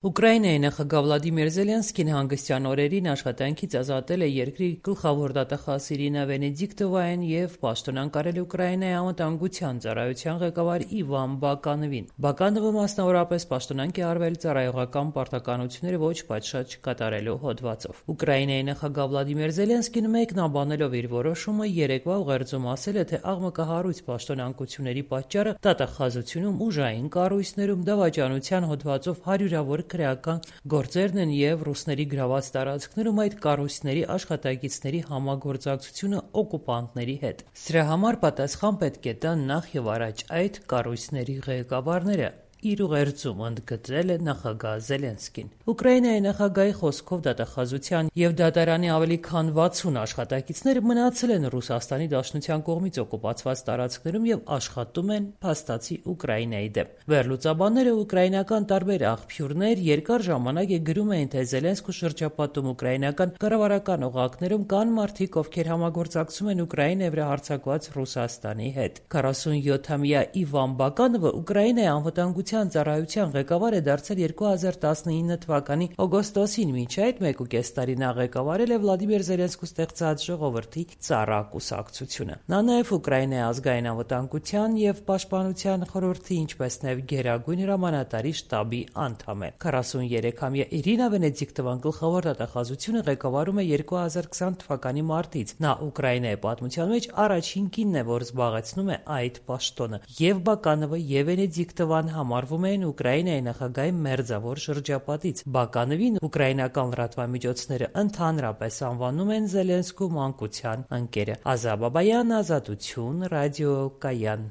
Ուկրաինայի նախագահ Վլադիմիր Զելենսկին հանգստյան օրերին աշխատանքից ազատել է երկրի գլխավոր դատախազ Իրինա Վենեդիկտովային և պաշտոնանկարել Ուկրաինայի անվտանգության ծառայության ղեկավար Իվան Բականովին։ Բականովը մասնավորապես պաշտոնանկ է արվել ծառայողական պարտականությունները ոչ պատշաճ կատարելու հոդվածով։ Ուկրաինայի նախագահ Վլադիմիր Զելենսկին մեկնաբանելով իր որոշումը երեկվա ուղերձում ասել է, թե աղմկահարույց պաշտոնանկությունների պատճառը դատախազությունում, ուժային կառույցներում, դավաճանության հոդվածով հարյուրավոր քրեական գործերն են և ռուսների գրաված տարածքներում այդ կառույցների աշխատակիցների համագործակցությունը օկուպանտների հետ։ Սրա համար պատասխան պետք է տան նախ և առաջ այդ կառույցների ղեկավարները, իր ուղերձում ընդգծել է նախագահ Զելենսկին։ Ուկրաինայի նախագահի խոսքով դատախազության և դատարանի ավելի քան 60 աշխատակիցներ մնացել են Ռուսաստանի Դաշնության կողմից օկուպացված տարածքներում և աշխատում են փաստացի Ուկրաինայի դեմ։ Վերլուծաբանները, ուկրաինական տարբեր աղբյուրներ երկար ժամանակ գրում էին, թե Զելենսկու շրջապատում ուկրաինական կառավարական օղակներում կան մարդիկ, ովքեր համագործակցում են Ուկրաինայի վրա հարձակված Ռուսաստանի հետ։ 47-ամյա Իվան Բականովը Ուկրաինայի անվտանգության ծառայության ղեկավար է դարձել 2019 թվականի օգոստոսին, մինչ այդ 1.5 տարի նա ղեկավարել է Վլադիմիր Զելենսկու ստեղծած Ժողովրդի ծառա կուսակցությունը։ Նա նաև Ուկրաինայի ազգային անվտանգության և պաշտպանության խորհրդի, ինչպես նաև Գերագույն հրամանատարի շտաբի անդամ է։ 43-ամյա Իրինա Վենեդիկտովան գլխավոր դատախազությունը ղեկավարում է 2020 թվականի մարտից։ Նա Ուկրաինայի պատմության մեջ առաջին կինն է, որ զբաղեցնում է այդ պաշտոնը։ Եվ Բականովը, և Վենեդիկտովան համարվում են Ուկրաինայի նախագահի մերձավոր շրջապատից։ Բականովին ուկրաինական լրատվամիջոցները ընդհանրապես անվանում են Զելենսկու մանկության ընկերը։ Ազա Բաբայան, Ազատություն, ռադիոկայան։